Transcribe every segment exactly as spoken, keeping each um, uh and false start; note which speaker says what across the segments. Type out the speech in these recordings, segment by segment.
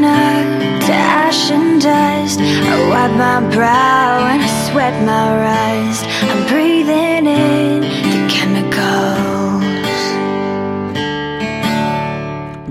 Speaker 1: up to ash and dust. I wipe my brow and I sweat my rust. I'm breathing in the chemicals.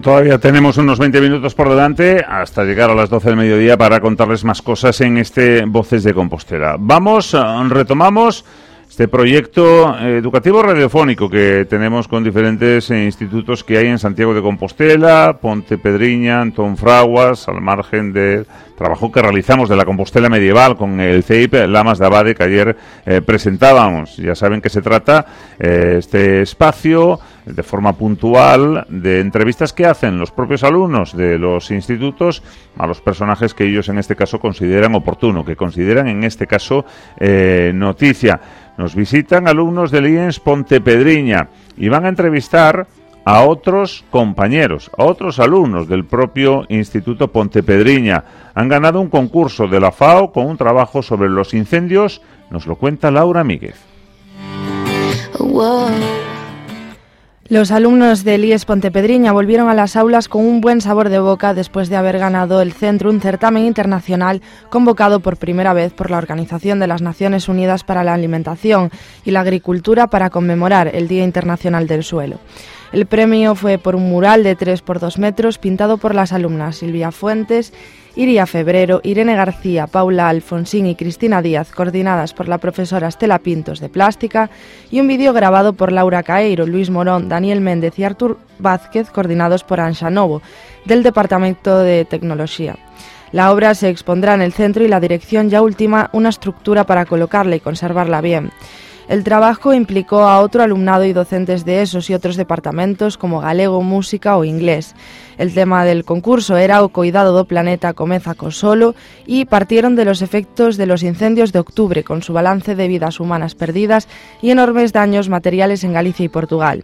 Speaker 2: Todavía tenemos unos veinte minutos por delante hasta llegar a las doce del mediodía para contarles más cosas en este Voces de Compostela. Vamos, retomamos este proyecto educativo radiofónico que tenemos con diferentes institutos que hay en Santiago de Compostela, Pontepedriña, Antón Fraguas, al margen del trabajo que realizamos de la Compostela medieval con el C E I P Lamas de Abade que ayer eh, presentábamos. Ya saben que se trata eh, este espacio de forma puntual de entrevistas que hacen los propios alumnos de los institutos a los personajes que ellos en este caso consideran oportuno, que consideran en este caso eh, noticia. Nos visitan alumnos del I E N S Pontepedriña y van a entrevistar a otros compañeros, a otros alumnos del propio Instituto Pontepedriña. Han ganado un concurso de la FAO con un trabajo sobre los incendios. Nos lo cuenta Laura Míguez.
Speaker 1: Wow.
Speaker 3: Los alumnos del I E S Pontepedriña volvieron a las aulas con un buen sabor de boca después de haber ganado el Centro, un certamen internacional convocado por primera vez por la Organización de las Naciones Unidas para la Alimentación y la Agricultura para conmemorar el Día Internacional del Suelo. El premio fue por un mural de tres por dos metros pintado por las alumnas Silvia Fuentes, Iria Febrero, Irene García, Paula Alfonsín y Cristina Díaz, coordinadas por la profesora Estela Pintos de Plástica, y un vídeo grabado por Laura Caeiro, Luis Morón, Daniel Méndez y Artur Vázquez, coordinados por Anxa Novo, del Departamento de Tecnología. La obra se expondrá en el centro y la dirección ya ultima una estructura para colocarla y conservarla bien. El trabajo implicó a otro alumnado y docentes de esos y otros departamentos como galego, música o inglés. El tema del concurso era o coidado do planeta comeza co solo y partieron de los efectos de los incendios de octubre con su balance de vidas humanas perdidas y enormes daños materiales en Galicia y Portugal.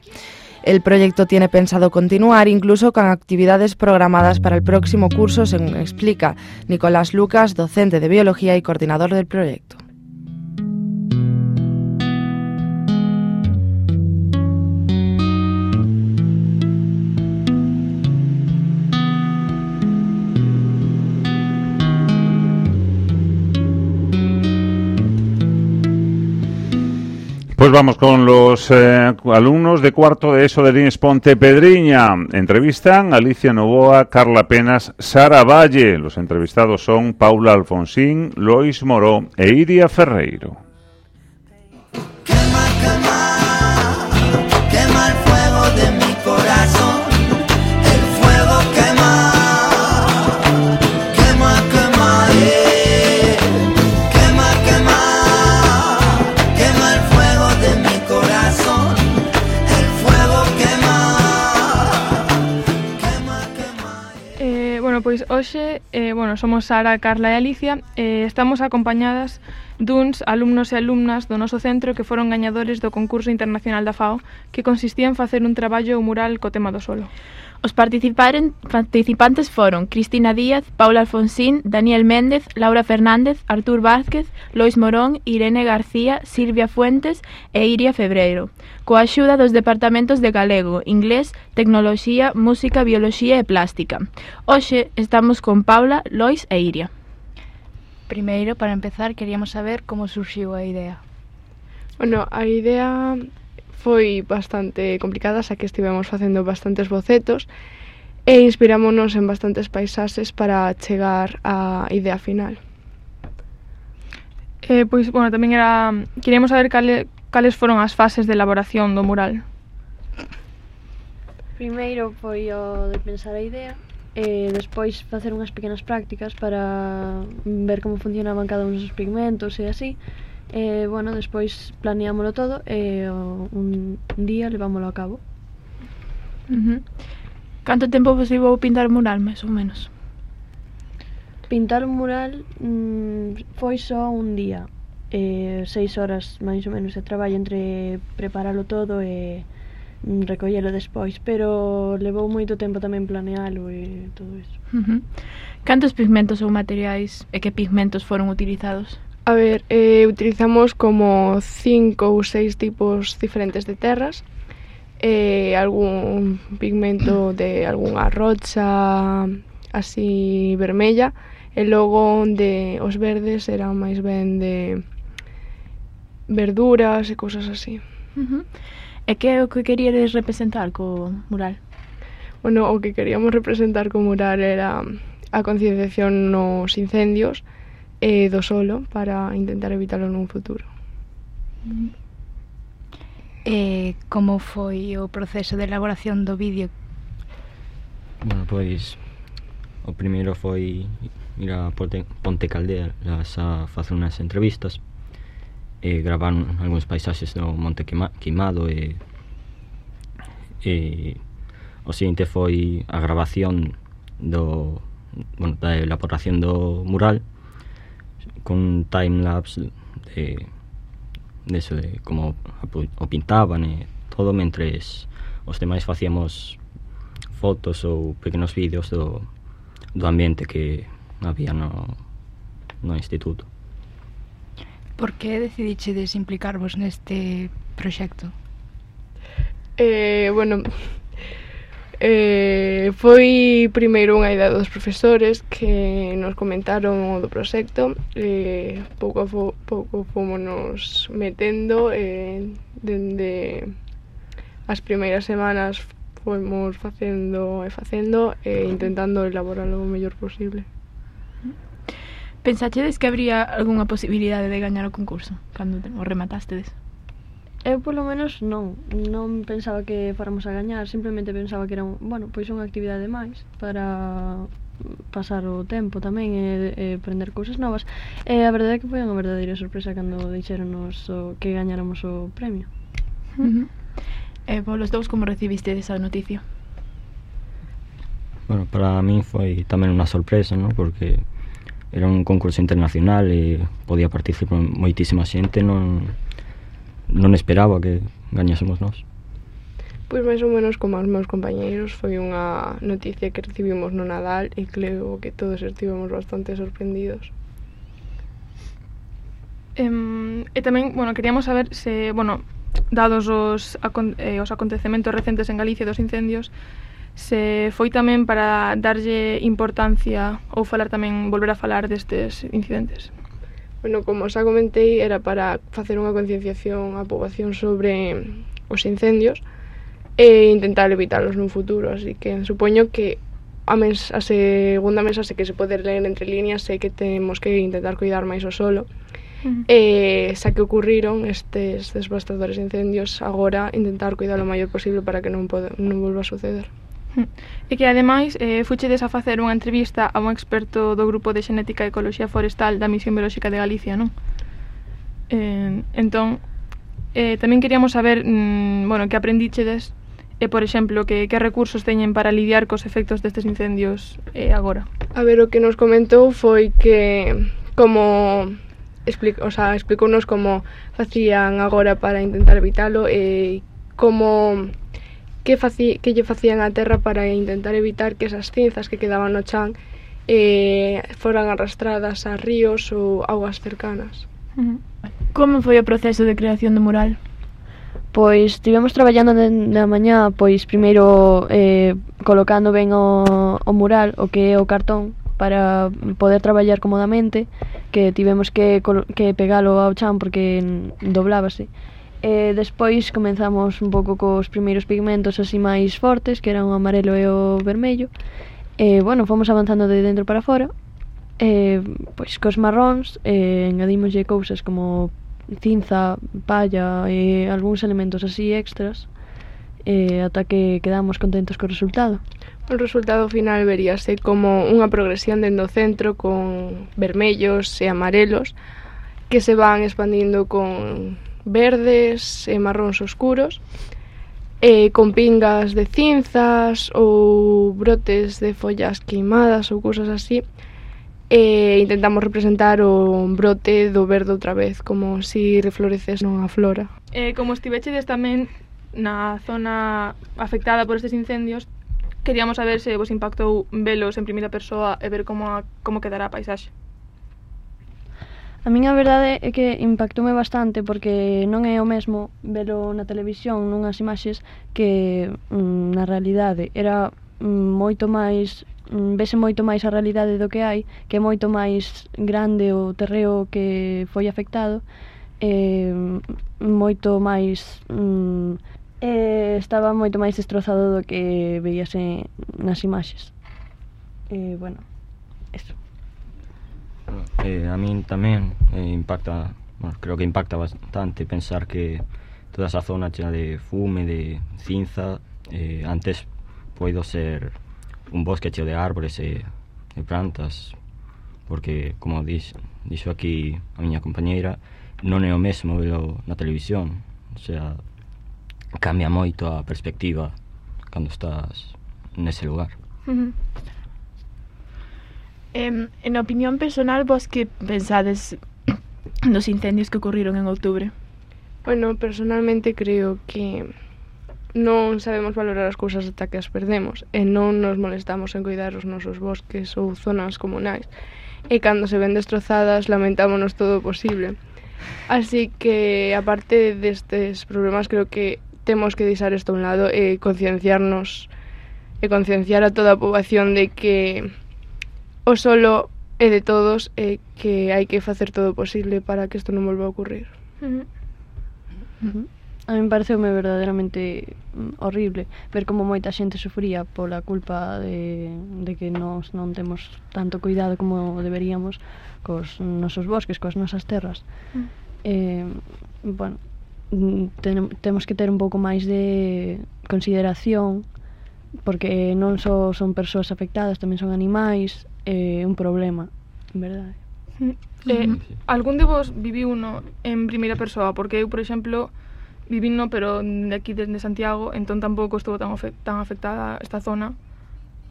Speaker 3: El proyecto tiene pensado continuar incluso con actividades programadas para el próximo curso, según explica Nicolás Lucas, docente de biología y coordinador del proyecto.
Speaker 2: Pues vamos con los eh, alumnos de cuarto de ESO del I E N S Pontepedriña. Entrevistan a Alicia Novoa, Carla Penas, Sara Valle. Los entrevistados son Paula Alfonsín, Lois Moró e Iria Ferreiro.
Speaker 4: Quema, quema, quema el fuego de mi corazón. El fuego quema, quema, quema, yeah. Quema, quema, quema el fuego de mi corazón. El fuego quema, quema, quema, yeah.
Speaker 5: Eh, bueno, pois hoxe, eh, bueno, somos Sara, Carla e Alicia. Eh, estamos acompañadas duns alumnos e alumnas do noso centro que foron gañadores do concurso internacional da FAO, que consistía en facer un traballo mural co tema do solo.
Speaker 6: Os participantes foron Cristina Díaz, Paula Alfonsín, Daniel Méndez, Laura Fernández, Artur Vázquez, Lois Morón, Irene García, Silvia Fuentes e Iria Febreiro, coa axuda dos departamentos de galego, inglés, tecnoloxía, música, bioloxía e plástica. Hoxe estamos con Paula, Lois e Iria.
Speaker 7: Primeiro, para empezar, queríamos saber como surxiu a idea.
Speaker 5: Bueno, a idea foi bastante complicada, xa que estivemos facendo bastantes bocetos e inspirámonos en bastantes paisaxes para chegar á idea final. Eh, pois, bueno, tamén era... Queríamos saber cale, cales foron as fases de elaboración do mural.
Speaker 8: Primeiro foi o de pensar a idea, e despois facer unhas pequenas prácticas para ver como funcionaban cada un dos pigmentos e así. E, bueno, despois planeámoslo todo e un día levámoslo a cabo.
Speaker 6: Uh-huh. Canto tempo vos levou pintar o mural, máis ou menos?
Speaker 8: Pintar un mural mmm, foi só un día, e seis horas máis ou menos de traballo entre preparalo todo e recollelo despois, pero levou moito tempo tamén planealo e todo iso.
Speaker 6: Uh-huh. Cantos pigmentos ou materiais e que pigmentos foron utilizados?
Speaker 5: A ver, eh, utilizamos como cinco ou seis tipos diferentes de terras, eh, algún pigmento de algunha rocha,
Speaker 9: así vermella, e logo onde os verdes eran máis ben de verduras e cousas así.
Speaker 6: Uh-huh. E que é o que queríades representar co mural?
Speaker 9: Bueno, o que queríamos representar co mural era a concienciación nos incendios e do solo para intentar evitalo nun futuro.
Speaker 7: Uh-huh. E como foi o proceso de elaboración do vídeo?
Speaker 10: Bueno, pois o primeiro foi ir a Ponte, Ponte Caldelas a facer unhas entrevistas e gravar algúns paisaxes do Monte Queima, Queimado e, e o seguinte foi a grabación do, bueno, da elaboración do mural con timelapse de, de eso, de como o pintaban e todo, mentres os demais facíamos fotos ou pequenos vídeos do, do ambiente que había no, no instituto.
Speaker 7: Por que decidichedes implicarvos neste proxecto?
Speaker 9: Eh, bueno, eh, foi primeiro unha idea dos profesores que nos comentaron o do proxecto, e pouco a fo, pouco fomos metendo, e dende as primeiras semanas fomos facendo e facendo e intentando elaborarlo o mellor posible.
Speaker 6: Pensachedes que habría algunha posibilidade de gañar o concurso cando o rematástedes?
Speaker 8: Eu polo menos non, non pensaba que fóramos a gañar, simplemente pensaba que era un, bueno, pois unha actividade máis para pasar o tempo tamén e, e aprender cousas novas. E a verdade é que foi unha verdadeira sorpresa cando dixéronos o, que gañáramos o premio.
Speaker 6: Uh-huh. E polos dous, como recibiste esa noticia?
Speaker 10: Bueno, para mí foi tamén unha sorpresa, ¿no? Porque era un concurso internacional e podía participar moitísima xente, non, non esperaba que gañásemos nós.
Speaker 9: Pois máis ou menos como os meus compañeiros, foi unha noticia que recibimos no Nadal e creo que todos estivemos bastante sorprendidos.
Speaker 5: Um, e tamén, bueno, queríamos saber se, bueno, dados os, acon eh, os acontecementos recentes en Galicia dos incendios, se foi tamén para darlle importancia ou falar tamén, volver a falar destes incidentes.
Speaker 9: Bueno, como xa comentei, era para facer unha concienciación á poboación sobre os incendios e intentar evitalos nun futuro, así que supoño que a, mens a segunda mensaxe que se pode ler entre líneas é que temos que intentar cuidar máis o solo. Uh-huh. E xa que ocurriron estes devastadores incendios, agora intentar cuidar o maior posible para que non, pode, non volva a suceder.
Speaker 5: E que ademais eh, fuchedes a facer unha entrevista a un experto do grupo de xenética e ecoloxía forestal da Misión Biolóxica de Galicia, non? Eh, entón, eh, tamén queríamos saber, mm, bueno, que aprendichedes e, por exemplo, que, que recursos teñen para lidiar cos efectos destes incendios eh, agora.
Speaker 9: A ver, o que nos comentou foi que como explic, o sea, explicounos como facían agora para intentar evitalo e como que, faci, que lle facían á terra para intentar evitar que esas cinzas que quedaban no chan eh, foran arrastradas a ríos ou augas cercanas.
Speaker 6: Uh-huh. Como foi o proceso de creación do mural?
Speaker 8: Pois estivemos traballando na mañá, pois primeiro eh, colocando ben o, o mural, o que é o cartón, para poder traballar cómodamente, que tivemos que, que pegalo ao chan porque doblábase. E despois comenzamos un pouco cos primeiros pigmentos así máis fortes, que eran o amarelo e o vermello. E, bueno, fomos avanzando de dentro para fora. E, pois, cos marróns, e, engadimoslle cousas como cinza, palla e algúns elementos así extras, e, ata que quedamos contentos co resultado.
Speaker 9: O resultado final veríase como unha progresión dentro do centro con vermellos e amarelos que se van expandindo con verdes e marróns oscuros, e con pingas de cinzas ou brotes de follas queimadas ou cousas así, e intentamos representar o brote do verde outra vez, como si refloreces nunha flora.
Speaker 5: Eh, como estivechedes tamén na zona afectada por estes incendios, queríamos saber se vos impactou velos en primeira persoa e ver como, a, como quedará a paisaxe.
Speaker 8: A min a verdade é que impactoume bastante porque non é o mesmo velo na televisión nunhas imaxes que mm, na realidade era mm, moito máis mm, vese moito máis a realidade do que hai, que é moito máis grande o terreo que foi afectado, eh, moito máis mm, eh, estaba moito máis destrozado do que veíase nas imaxes. Eh, bueno, eso.
Speaker 10: Eh, a min tamén eh, impacta, bueno, creo que impacta bastante pensar que toda esa zona chea de fume, de cinza, eh, antes poido ser un bosque cheo de árbores e de plantas, porque, como dix, dixo aquí a miña compañeira, non é o mesmo velo na televisión, o sea, cambia moito a perspectiva cando estás nese lugar.
Speaker 6: Uh-huh. Eh, en opinión personal, vos que pensades nos incendios que ocurriron en outubro?
Speaker 9: Bueno, personalmente creo que non sabemos valorar as cousas ata que as perdemos e non nos molestamos en cuidar os nosos bosques ou zonas comunais, e cando se ven destrozadas lamentámonos todo o posible. Así que, aparte destes problemas, creo que temos que deixar isto a un lado e concienciarnos e concienciar a toda a poboación de que o solo é de todos e que hai que facer todo o posible para que isto non volva a ocurrir.
Speaker 6: Uh-huh.
Speaker 8: Uh-huh. A mí pareceume verdadeiramente horrible ver como moita xente sufría pola culpa de, de que nós non temos tanto cuidado como deberíamos cos nosos bosques, coas nosas terras. Uh-huh. Eh, bueno, ten, temos que ter un pouco máis de consideración, porque non só son persoas afectadas, tamén son animais, é eh, un problema, en verdade.
Speaker 5: Eh, algún de vos viviu uno en primeira persoa? Porque eu, por exemplo, vivín no, pero de aquí desde Santiago, entón tampouco estuvo tan, tan afectada esta zona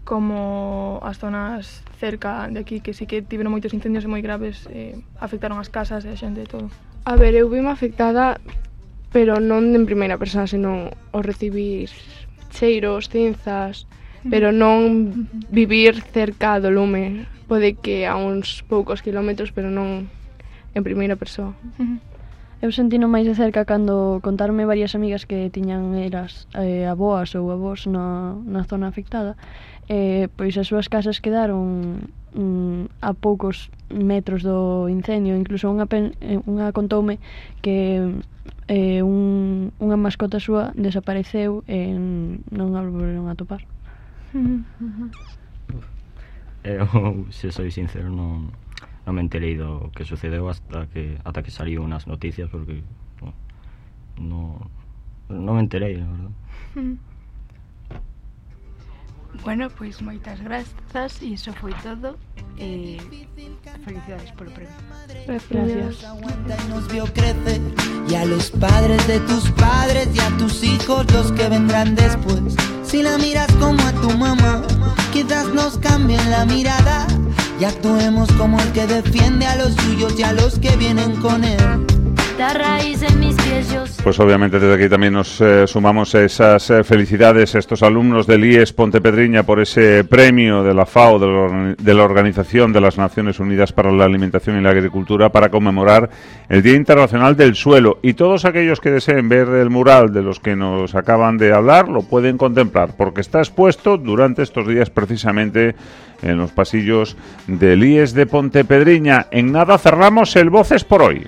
Speaker 5: como as zonas cerca de aquí, que sí que tiveron moitos incendios moi graves, eh, afectaron as casas e a xente e todo.
Speaker 9: A ver, eu vime afectada, pero non en primeira persoa, senón o recibir cheiros, cinzas, pero non vivir cerca do lume. Pode que a uns poucos kilómetros, pero non en primeira persoa.
Speaker 8: Uh-huh. Eu sentino máis de cerca cando contarme varias amigas que tiñan eras eh, aboas ou avós na, na zona afectada, eh, pois as súas casas quedaron mm, a poucos metros do incendio. Incluso unha, pen, unha contoume que eh, un, unha mascota súa desapareceu e non a volveron a topar.
Speaker 10: Uh-huh. Eu, se soy sincero, non, non me enterei do que sucedeu hasta que ata que saliu nas noticias, porque bueno, non non me enterei, la verdad.
Speaker 7: Uh-huh. Bueno, pois pues, moitas grazas, e iso foi todo. Eh, felicidades polo premio.
Speaker 8: Gracias.
Speaker 4: Nos vio crecer, y a los padres de tus padres y a tus hijos, los que vendrán después. Si la miras como a tu mamá, quizás nos cambien la mirada y actuemos como el que defiende a los suyos y a los que vienen con él.
Speaker 2: Pues obviamente desde aquí también nos eh, sumamos a esas eh, felicidades a estos alumnos del I E S Pontepedriña por ese premio de la FAO, de la, de la Organización de las Naciones Unidas para la Alimentación y la Agricultura, para conmemorar el Día Internacional del Suelo. Y todos aquellos que deseen ver el mural de los que nos acaban de hablar lo pueden contemplar, porque está expuesto durante estos días precisamente en los pasillos del I E S de Pontepedriña. En nada cerramos el Voces por hoy.